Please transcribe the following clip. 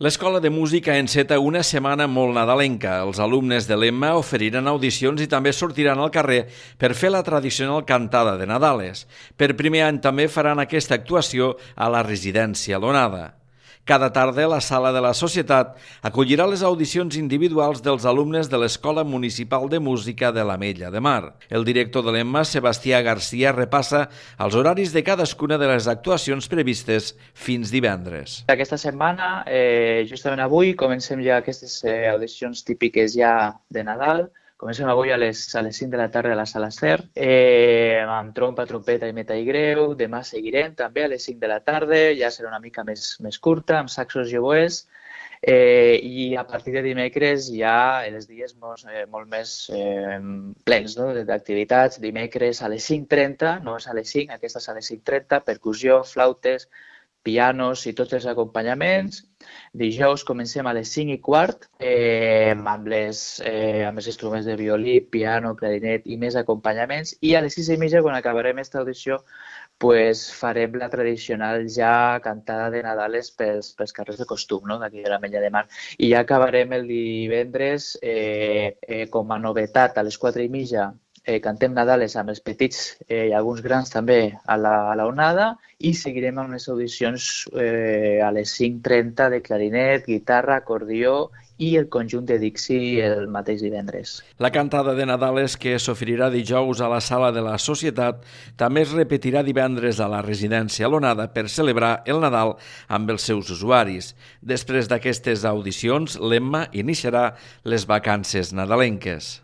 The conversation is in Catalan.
L'Escola de Música enceta una setmana molt nadalenca. Els alumnes de l'Emma oferiran audicions i també sortiran al carrer per fer la tradicional cantada de Nadales. Per primer any també faran aquesta actuació a la residència l'Onada. Cada tarda la Sala de la Societat acollirà les audicions individuals dels alumnes de l'Escola Municipal de Música de l'Ametlla de Mar. El director de l'Emma, Sebastià Garcia, repassa els horaris de cadascuna de les actuacions previstes fins divendres. Aquesta setmana, justament avui, comencem ja aquestes audicions típiques ja de Nadal. Comencem avui a les 5 de la tarda a la Sala Cer, amb trompa, trompeta i metall greu. Demà seguirem també a les 5 de la tarda, ja serà una mica més curta, amb saxos i oboès. I a partir de dimecres ja els dies molt més plens d'activitats. Dimecres a les 5:30, no és a les 5, aquesta és a les 5:30, percussió, flautes, pianos i tots els acompanyaments. Dijous comencem a les 5:15 amb els instruments de violí, piano, clarinet i més acompanyaments. I a les 6:30, quan acabarem aquesta audició, farem la tradicional ja cantada de Nadales pels carrers de costum, d'aquí de l'Ametlla de Mar. I ja acabarem el divendres com a novetat a les 4:30. Cantem Nadales amb els petits i alguns grans també a la Onada i seguirem amb les audicions a les 5:30 de clarinet, guitarra, acordió i el conjunt de Dixi el mateix divendres. La cantada de Nadales, que s'oferirà dijous a la Sala de la Societat, també es repetirà divendres a la residència l'Onada per celebrar el Nadal amb els seus usuaris. Després d'aquestes audicions, l'Emma iniciarà les vacances nadalenques.